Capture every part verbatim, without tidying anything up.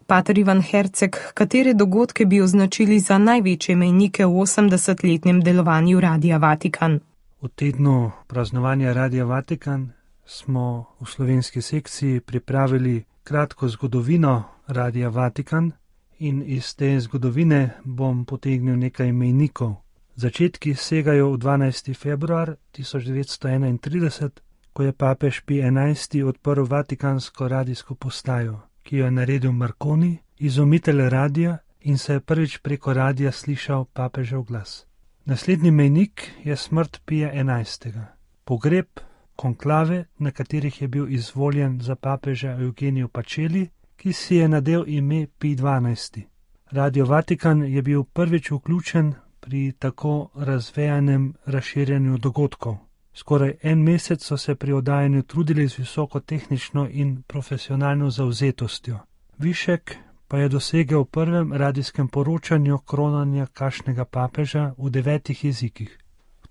Pater Ivan Herceg, katere dogodke bi označili za največje mejnike v osemdesetletnem delovanju Radia Vatikan? V tednu praznovanja Radia Vatikan smo v slovenski sekciji pripravili kratko zgodovino Radia Vatikan in iz te zgodovine bom potegnil nekaj mejnikov. Začetki segajo v dvanajsti februar tisoč devetsto enaintrideset, ko je papež Pij enajsti odprl vatikansko radijsko postajo, ki jo je naredil Marconi, izumitelj radia, in se je prvič preko radia slišal papežev glas. Naslednji mejnik je smrt Pija enajstega. Pogreb, konklave, na katerih je bil izvoljen za papeža Eugenijo Pacelli, ki si je nadel ime Pij dvanajsti. Radio Vatikan je bil prvič vključen pri tako razvejanem razširjanju dogodkov. Skoraj en mesec so se pri oddajanju trudili z visoko tehnično in profesionalno zavzetostjo. Višek pa je dosegel v prvem radijskem poročanju kronanja kakšnega papeža v devetih jezikih.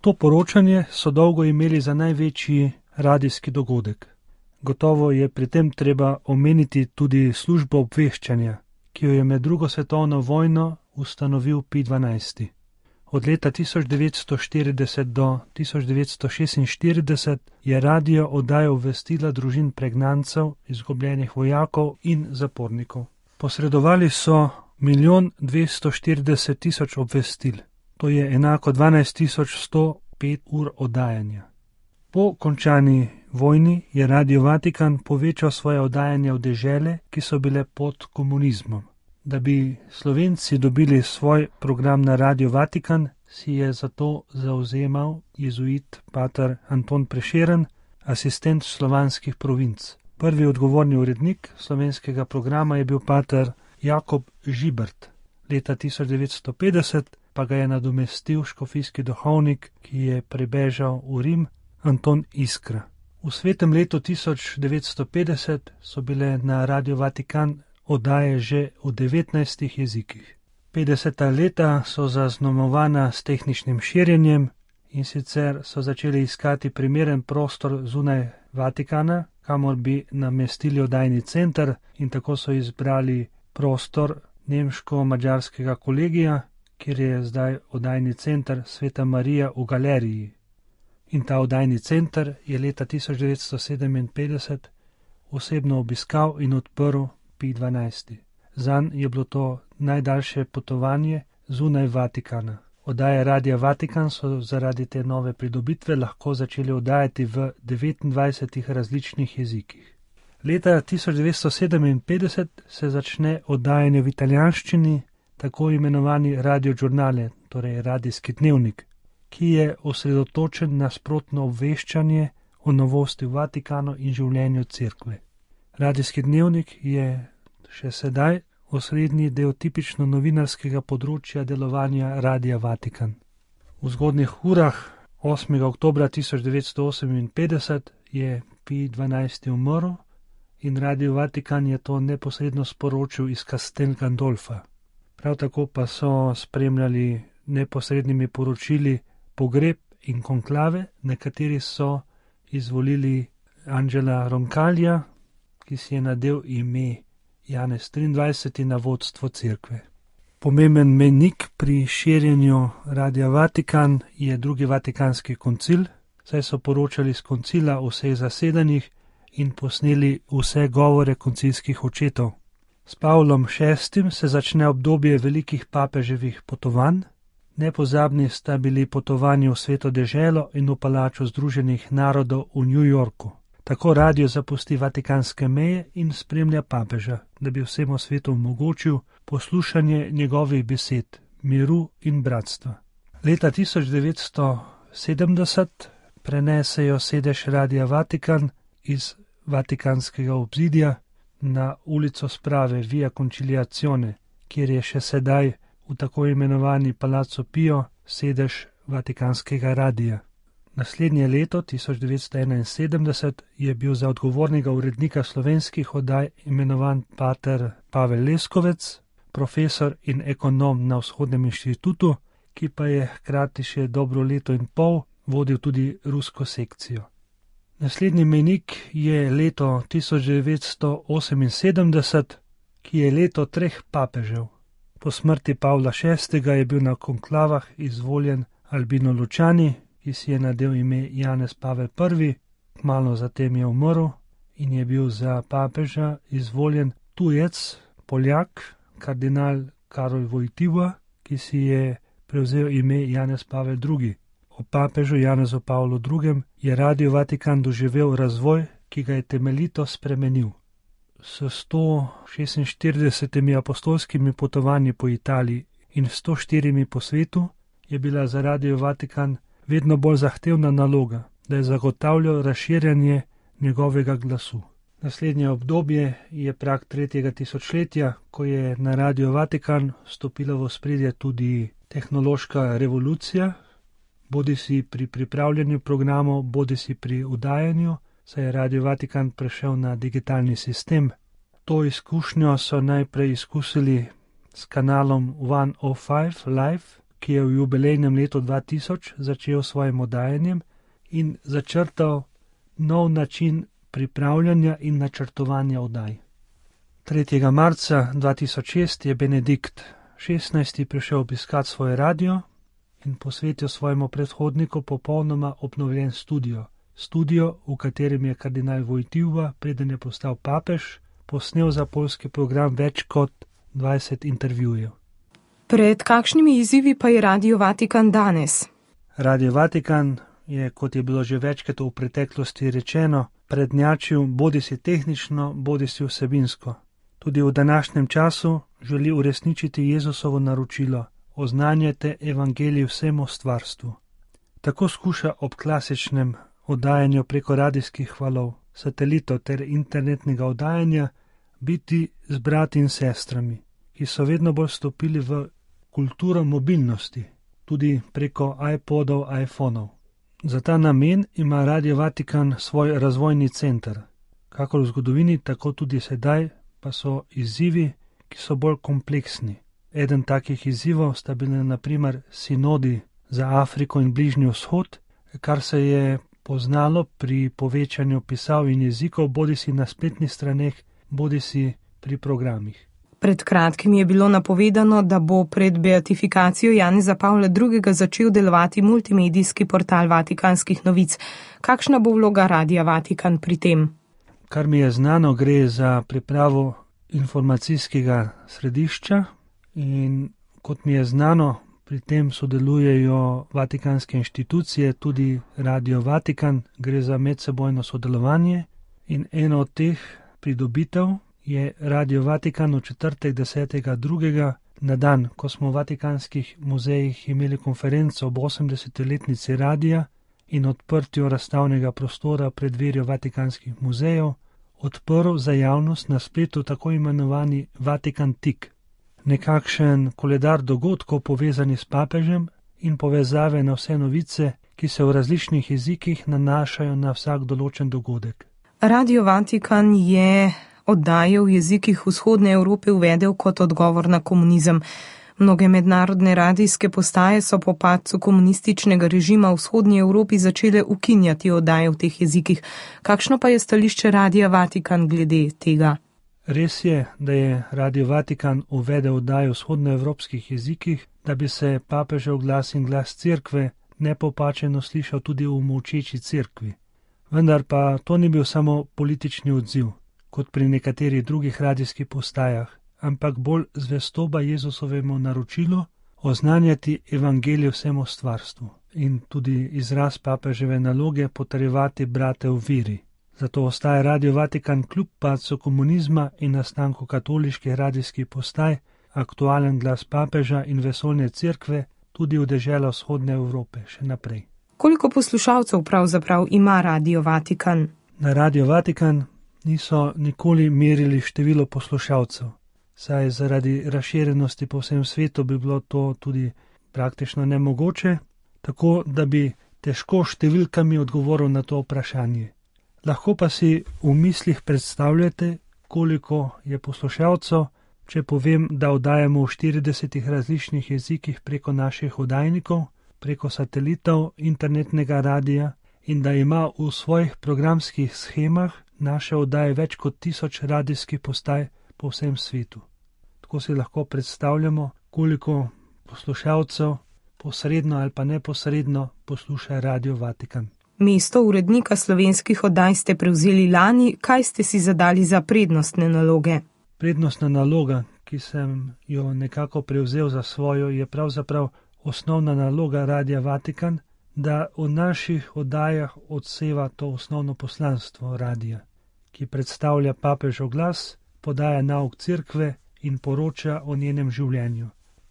To poročanje so dolgo imeli za največji radijski dogodek. Gotovo je pri tem treba omeniti tudi službo obveščanja, ki jo je med drugo svetovno vojno ustanovil Pij dvanajsti. Od leta tisoč devetsto štirideset do tisoč devetsto šestinštirideset je radio oddajal obvestila družin pregnancev, izgubljenih vojakov in zapornikov. Posredovali so milijon dvesto štirideset tisoč obvestil, to je enako dvanajst tisoč sto pet ur oddajanja. Po končani vojni je Radio Vatikan povečal svoje oddajanje v dežele, ki so bile pod komunizmom. Da bi Slovenci dobili svoj program na Radio Vatikan, si je zato zauzemal jezuit pater Anton Prešeren, asistent slovanskih provinc. Prvi odgovorni urednik slovenskega programa je bil pater Jakob Žibert. Leta tisoč devetsto petdeset pa ga je nadomestil škofijski duhovnik, ki je prebežal v Rim, Anton Iskra. V svetem letu tisoč devetsto petdeset so bile na Radio Vatikan oddaje že v devetnajstih jezikih. petdeseta leta so zaznamovana s tehničnim širjenjem in sicer so začeli iskati primeren prostor zunaj Vatikana, kamor bi namestili oddajni center, in tako so izbrali prostor nemško-madžarskega kolegija, kjer je zdaj oddajni center Sveta Marija v galeriji. In ta oddajni center je leta tisoč devetsto sedeminpetdeset osebno obiskal in odprl Pij dvanajsti. Zanj je bilo to najdaljše potovanje zunaj Vatikana. Oddaje Radia Vatikan so zaradi te nove pridobitve lahko začeli oddajati v devetindvajsetih različnih jezikih. Leta tisoč devetsto sedeminpetdeset se začne oddajanje v italijanščini, tako imenovani Radio Giornale, torej radijski dnevnik, ki je osredotočen na sprotno obveščanje o novosti v Vatikanu in življenju cerkve. Radijski dnevnik je še sedaj osrednji del tipično novinarskega področja delovanja Radia Vatikan. V zgodnjih urah osmega oktobra tisoč devetsto oseminpetdeset je Pij dvanajsti umrl in Radio Vatikan je to neposredno sporočil iz Castel Gandolfa. Prav tako pa so spremljali neposrednimi poročili pogreb in konklave, na kateri so izvolili Angela Roncaglia, ki si je nadel ime Janez triindvajseti na vodstvo cerkve. Pomemben mejnik pri širjenju Radia Vatikan je drugi vatikanski koncil, saj so poročali z koncila o vseh zasedanjih in posneli vse govore koncilskih očetov. S Pavlom šestim se začne obdobje velikih papeževih potovanj. Nepozabni sta bili potovanji v Sveto deželo in v palačo Združenih narodov v New Yorku. Tako radio zapusti vatikanske meje in spremlja papeža, da bi vsemu svetu omogočil poslušanje njegovih besed, miru in bratstva. Leta tisoč devetsto sedemdeset prenesejo sedež Radia Vatikan iz vatikanskega obzidja na ulico Sprave Via Conciliazione, kjer je še sedaj v tako imenovani Palazzo Pio sedež vatikanskega radia. Naslednje leto, tisoč devetsto enainsedemdeset, je bil za odgovornega urednika slovenskih oddaj imenovan pater Pavel Leskovec, profesor in ekonom na Vzhodnem inštitutu, ki pa je hkrati še dobro leto in pol vodil tudi rusko sekcijo. Naslednji mejnik je leto tisoč devetsto oseminsedemdeset, ki je leto treh papežev. Po smrti Pavla šestega je bil na konklavah izvoljen Albino Lučani, ki si je nadel ime Janez Pavel prvi, kmalu zatem je umrl in je bil za papeža izvoljen tujec, Poljak, kardinal Karol Wojtyła, ki si je prevzel ime Janez Pavel drugi. O papežu Janezu Pavlu drugem je Radio Vatikan doživel razvoj, ki ga je temeljito spremenil. S sto šestinštiridesetimi apostolskimi potovanji po Italiji in sto štirimi po svetu je bila za Radio Vatikan vedno bolj zahtevna naloga, da je zagotavljal razširjanje njegovega glasu. Naslednje obdobje je prag tretjega tisočletja, ko je na Radio Vatikan stopila v ospredje tudi tehnološka revolucija, bodisi pri pripravljanju programov, bodisi pri udajanju, saj je Radio Vatikan prešel na digitalni sistem. To izkušnjo so najprej izkusili s kanalom sto pet Live, ki je v jubilejnem letu dva tisoč začel s svojim udajanjem in začrtal nov način pripravljanja in načrtovanja oddaj. tretjega marca dva tisoč šest je Benedikt šestnajsti prišel obiskat svoj radio in posvetil svojemu predhodniku popolnoma obnovljen studio. Studio, v katerem je kardinal Wojtyła, preden je postal papež, posnel za poljski program več kot dvajset intervjujev. Pred kakšnimi izzivi pa je Radio Vatikan danes? Radio Vatikan je, kot je bilo že večkrat v preteklosti rečeno, prednjačil bodisi tehnično, bodisi vsebinsko. Tudi v današnjem času želi uresničiti Jezusovo naročilo: oznanjajte evangelij vsemu stvarstvu. Tako skuša ob klasičnem oddajanju preko radijskih valov, satelitov ter internetnega oddajanja biti z brati in sestrami, ki so vedno bolj stopili v kulturo mobilnosti, tudi preko iPodov, iPhonov. Za ta namen ima Radio Vatikan svoj razvojni center. Kakor v zgodovini, tako tudi sedaj pa so izzivi, ki so bolj kompleksni. Eden takih izzivov sta bili na primer sinodi za Afriko in Bližnji vzhod, kar se je poznalo pri povečanju pisav in jezikov, bodisi na spletnih straneh, bodisi pri programih. Pred kratkim je bilo napovedano, da bo pred beatifikacijo Janeza Pavla drugega začel delovati multimedijski portal Vatikanskih novic. Kakšna bo vloga Radia Vatikan pri tem? Kar mi je znano, gre za pripravo informacijskega središča in kot mi je znano, pri tem sodelujejo vatikanske inštitucije, tudi Radio Vatikan, gre za medsebojno sodelovanje in eno od teh pridobitev je Radio Vatikan v četrtek desetega drugega na dan, ko smo v Vatikanskih muzejih imeli konferenco ob osemdeseti letnici radija in odprtju razstavnega prostora pred dverjo Vatikanskih muzejev, odprl za javnost na spletu tako imenovani Vatikan Tik, nekakšen koledar dogodkov povezani s papežem in povezave na vse novice, ki se v različnih jezikih nanašajo na vsak določen dogodek. Radio Vatikan je oddaje v jezikih vzhodne Evrope uvedel kot odgovor na komunizem. Mnoge mednarodne radijske postaje so po padcu komunističnega režima v vzhodnji Evropi začele ukinjati oddaje v teh jezikih. Kakšno pa je stališče Radia Vatikan glede tega? Res je, da je Radio Vatikan uvedel oddaje v vzhodnoevropskih jezikih, da bi se papežev glas in glas cerkve nepopačeno slišal tudi v molčeči cerkvi. Vendar pa to ni bil samo politični odziv, kot pri nekaterih drugih radijskih postajah, ampak bolj zvestoba Jezusovemu naročilu oznanjati evangelij vsemu stvarstvu in tudi izraz papeževe naloge potrjevati brate v veri. Zato ostaja Radio Vatikan kljub padcu komunizma in nastanku katoliških radijskih postaj aktualen glas papeža in vesoljne cerkve tudi v deželo vzhodne Evrope še naprej. Koliko poslušalcev pravzaprav ima Radio Vatikan? Na Radio Vatikan niso nikoli merili število poslušalcev, saj zaradi razširjenosti po vsem svetu bi bilo to tudi praktično nemogoče, tako da bi težko številkami odgovoril na to vprašanje. Lahko pa si v mislih predstavljate, koliko je poslušalcev, če povem, da oddajamo v štiridesetih različnih jezikih preko naših oddajnikov, preko satelitov, internetnega radija in da ima v svojih programskih shemah naše oddaje več kot tisoč radijskih postaj po vsem svetu. Tako si lahko predstavljamo, koliko poslušalcev posredno ali pa neposredno posluša Radio Vatikan. Mesto urednika slovenskih oddaj ste prevzeli lani, kaj ste si zadali za prednostne naloge? Prednostna naloga, ki sem jo nekako prevzel za svojo, je pravzaprav osnovna naloga Radia Vatikan, da v naših oddajah odseva to osnovno poslanstvo radia, ki predstavlja papežev glas, podaja nauk cerkve in poroča o njenem življenju.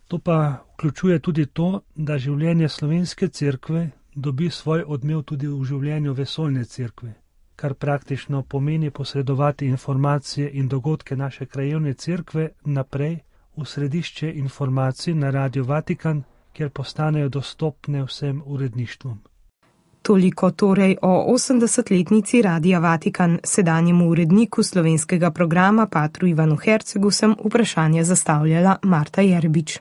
To pa vključuje tudi to, da življenje slovenske cerkve dobi svoj odmev tudi v življenju vesoljne cerkve, kar praktično pomeni posredovati informacije in dogodke naše krajevne cerkve naprej v središče informacij na Radio Vatikan, kjer postanejo dostopne vsem uredništvom. Toliko torej o osemdesetletnici Radia Vatikan, sedanjemu uredniku slovenskega programa patru Ivanu Hercegu sem vprašanje zastavljala Marta Jerbič.